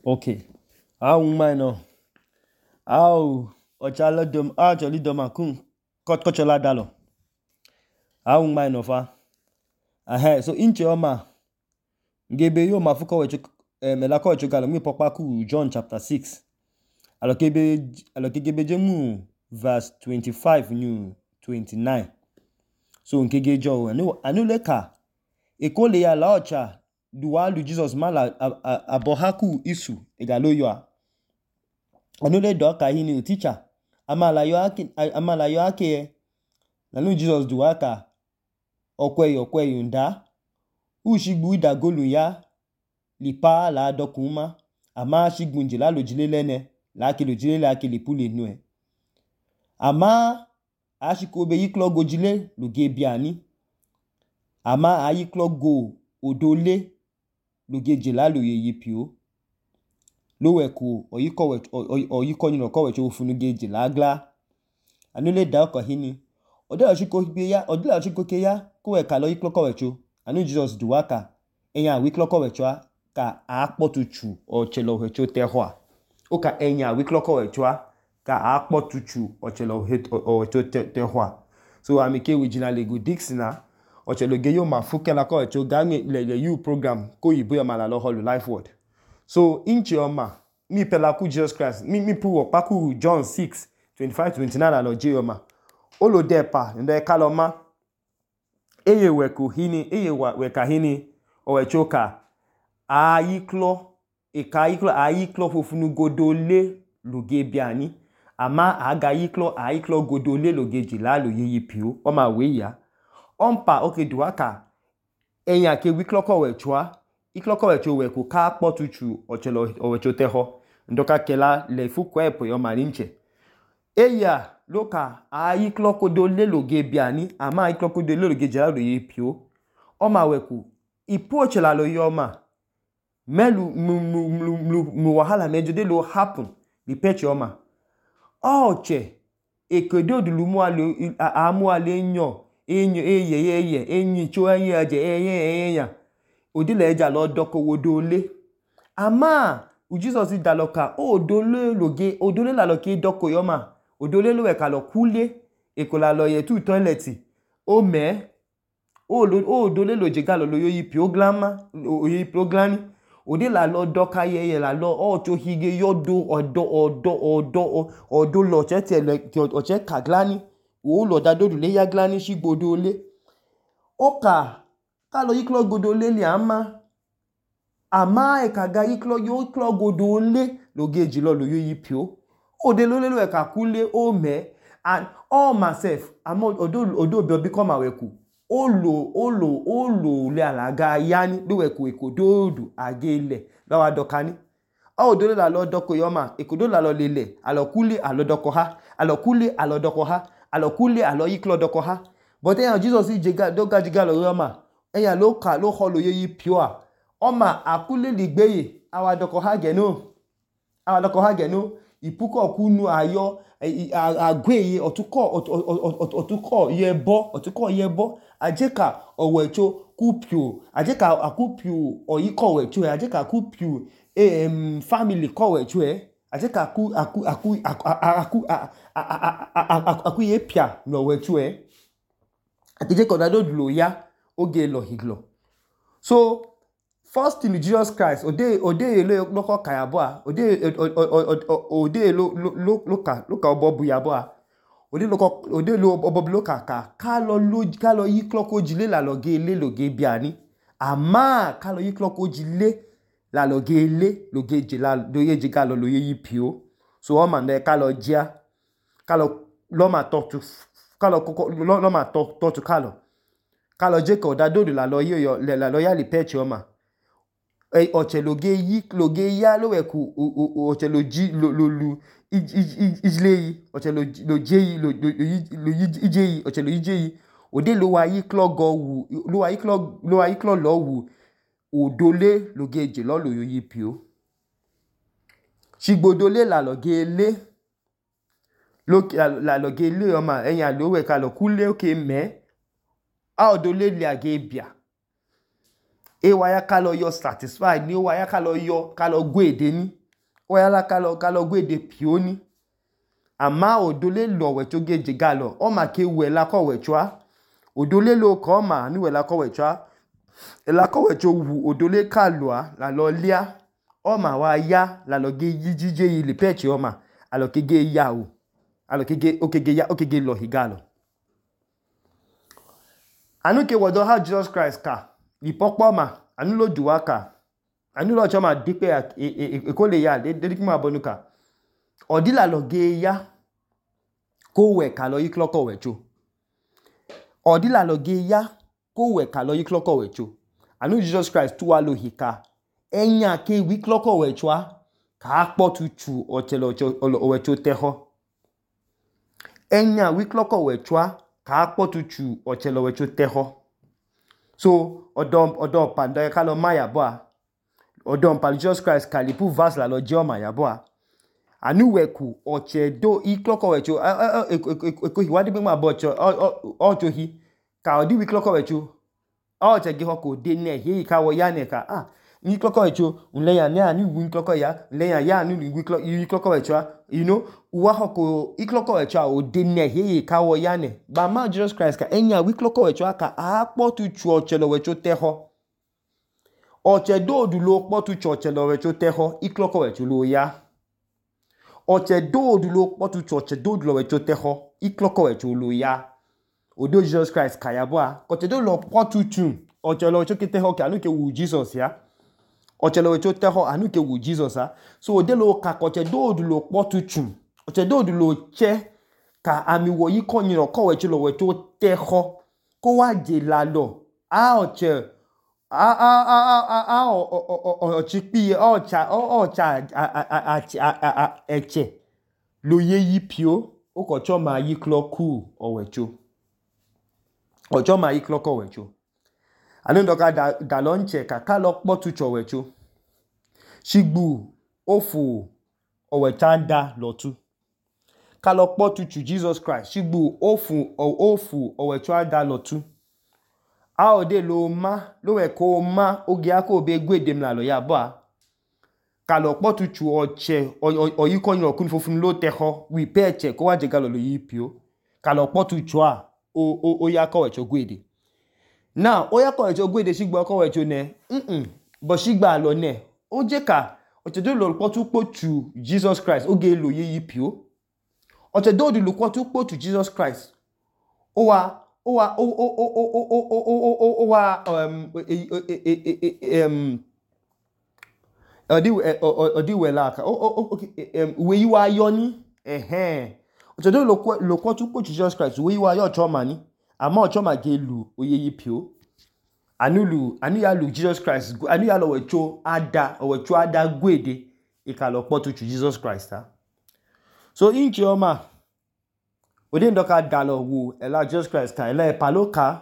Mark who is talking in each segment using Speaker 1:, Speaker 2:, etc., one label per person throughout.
Speaker 1: Okay. Minor. Actually doma kun kochola dalo. Minor fa. So inche oma. Ngebe yo mafuko wecho melako wecho galo mi pokpa ku John chapter 6. Alokebe jemu verse 25 new 29. So nkege jo anu leka ekole ya laocha duwalu Jesus mala abohaku isu egalo yo. Anu le doka hini teacher amala yo ake nanu Jesus duwaka okwe nda ushigbu idagolu ya lipa la dokuma ama shigbu njila lojile lene la ke lojile la ke lipule nu ama ashikobe yiklo gojile loge biani ama ayiklo go odole loge jela lo yeyipio loweku oyiko nyino kowecho ofunuge jela gla anule da oko hini odela chikoke ya koweka lo yiklo kowecho anu Jesus duwaka enya wiklo kowecho ka akpotuchu ochelo hecho tehwa oka enya wiklo kowecho ka akpotuchu ochelo hecho tehwa so amike wijina lego dixina ochelo geyo mafuke la kowecho game le you program ko yibo ya mala lo holu life word so inchi oma mi pela ku Jesus Christ mi pu okpa ku John 6 25 29 la lo je oma olo depa ndo kaloma eye weka hini owechoka ayiklo fofunu godole loge biani ama aga ayiklo godole loge jila lo yeyipio oma weya ompa oke duwaka enya ke wikloko wechwa ikloko wecho weku ka kpotuchu ochelo owecho teho ndoka kela le fukwepo yo malinche eya loka ayiklo kodole loge biani ama ayiklo kodole loge jila lo yeyipio oma weku ipoche la lo yoma melu mu wahala mejode lo happen li peche oma oche ekedo dulumu amu ale enyo enyi cho enya odile eja lo doko wodole ama Jesus daloka odole la lo ke doko yoma odole lo weka lo kule ekola lo ye tu toileti odole lo jegalo lo yoyi proglani ode la lo doka yeye la lo ocho hige yodo odo lo oche kaglani o lo dadodu le ya glani shigbodole oka kalo yiklo godole li ama ekaga yiklo godole logeji lo yoyi pio ode lo le ka kule and all myself ama odo bi come aweku olo le alaga yani do weku ekododu agele lawa dokani odole la lo doko yoma ekodo la lo lele alokule alodoko ha alokule alodoko ha alokule aloyiklo doko ha but eyan Jesus doga jigalo yoma eyan lo holo yeyi pure oma akule ligbeye awadoko ha geno ipuko kunu ayo agweye otuko yebo ajeka owecho kupio ajeka akupio oyiko wecho ajeka kupio family ko wecho ajeka aku yepia no wecho ajeka dadodlo ya oge lo higlo so first in Jesus Christ ode loko kayabo ode loka obobu yabo ode lo obobu loka ka lo yiklo ko jile la loge le loge biani ama ka lo yiklo ko jile la loge le loge jila do ye jiga lo ye yipio so o man de ka lo jia ka lo ma talk to ka lo je ko dadodu la lo yo la lo ya li peche oma ocheloge ya lo weku ocheloji lu ijleyi ochelojeyi lo ijeyi ochelojeyi ode lo wa yiklo go wu lo wa yiklo lo wu odole logeje lo lo yipio shigbodole la loge le oma enya lo weka lo kule oke odole le age bia waya ka lo yo satisfied ni waya ka lo gwe ede ni oyala kalo gwede pioni ama odole lo wecho geje galo oma ke wela ko wechoa odole lo ko ma ni wela ko wechoa ela ko wecho wu odole kaloa la lo lia oma wa ya la lo ge yijije ile peche oma alo ke ge ya o alo ke ge okege lo higalo anu ke wodo ha Jesus Christ ka ipokpo ma anu lo duwa ka anu lo choma dipe ekole ya de kuma bonuka odila lo ge ya ko we ka lo yikloko wecho odila lo ge ya ko we ka lo yikloko wecho anu Jesus Christ tuwa lo hika enya ke wikloko wechoa ka akpotuchu ochelo wecho teho enya wikloko wechoa ka akpotuchu ochelo wecho teho so odom panda ka lo maya boa odom pa Jesus Christ ka lipu verse la lo je oma ya boa anu weku ochedo ikloko wecho eko hiwadi be ma bo ocho hi ka odi wikloko wecho oche ge hoko de ne hi ka wo ya ne ka ni kloko wecho unle ya ne ani wi kloko ya le ya ni wi kloko wecho you know uwa hoko ikloko wecho o de ne hi ka wo ya ne ba ma Jesus Christ ka enya wi kloko wecho ka akpotu chu ochelo wecho teho oche dodu lo kpotu chu ochelo wecho teho ikloko wecho lo ya oche dodu lo kpotu chu oche dodu lo wecho teho ikloko wecho lo ya odo Jesus Christ ka ya boa oche do lo kpotu chu ochelo wecho teho ka anu ke wu Jesus ya ochelo wecho teho anu ke wu Jesus ha so ode lo ka oche dodu lo kpotu chu oche dodu lo che ka ami wo yi konyiro ko wecho lo wecho teho ko wa je la lo oche ochipi eche lo ye yi pio oko choma yi kloku owecho ochoma yi kloko wecho anu ndoka da lonche ka lo kpotu cho wecho shigbu ofu owechanda lotu ka lo kpotu chu Jesus Christ shigbu ofu owechanda lotu a ode lo we ko ma oge ako be gwedem la lo ya boa ka lo kpotu chu oche oyikonyo kun fofun lo teho wi peche ko waje galo lo yipio ka lo kpotu chu o ya ko wecho gwede now o ya ko wecho gwede shigbo ko wecho ne bo shigba lo ne o je ka oche do lo kpotu chu Jesus Christ oge lo yipio oche do lo kpotu chu Jesus Christ we yi wa yo ni oche do lo kpotu chu Jesus Christ we yi wa yo choma ni ama ochoma ge lu oye yipio anu ya lu Jesus Christ anu ya lo wecho ada gwede ikalo kpotu chu Jesus Christ ha so inchi oma ode ndoka dalo wu ela Jesus Christ ka ela paloka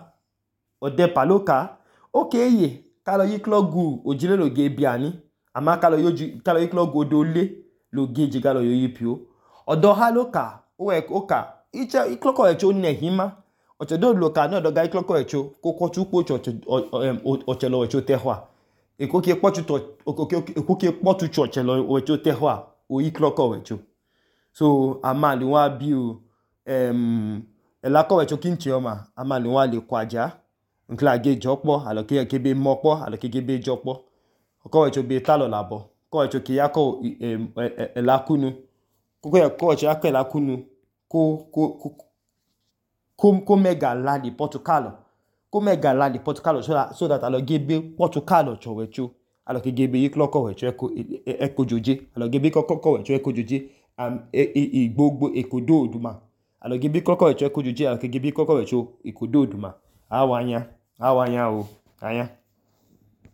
Speaker 1: ode paloka okeye kalo yiklogu ojile lo ge biani ama kalo yiklogu odole lo geje galo yoyipio odo haloka oka iche ikloko echo nehima oche do lo ka no do ga ikloko echo kokotu pocho ochelo echo tehwa ekoke kpotu ochelo echo tehwa o ikloko echo so amali wa biu elako wecho kinchi oma amali wa le kwaja nkla ge jopo aloke kebe mopo aloke gebe jopo ko wecho be talo labo ko wecho ki yako elakunu ko wecho yako elakunu ko mega la di Portugal so that alo gebe Portugal cho wecho aloke gebe yikloko wecho eko joje alo gebe kokoko wecho eko joje igbogbo ekodo oduma alo gibi kloko wecho eko joje alo gibi kloko wecho ikodo oduma awanya o anya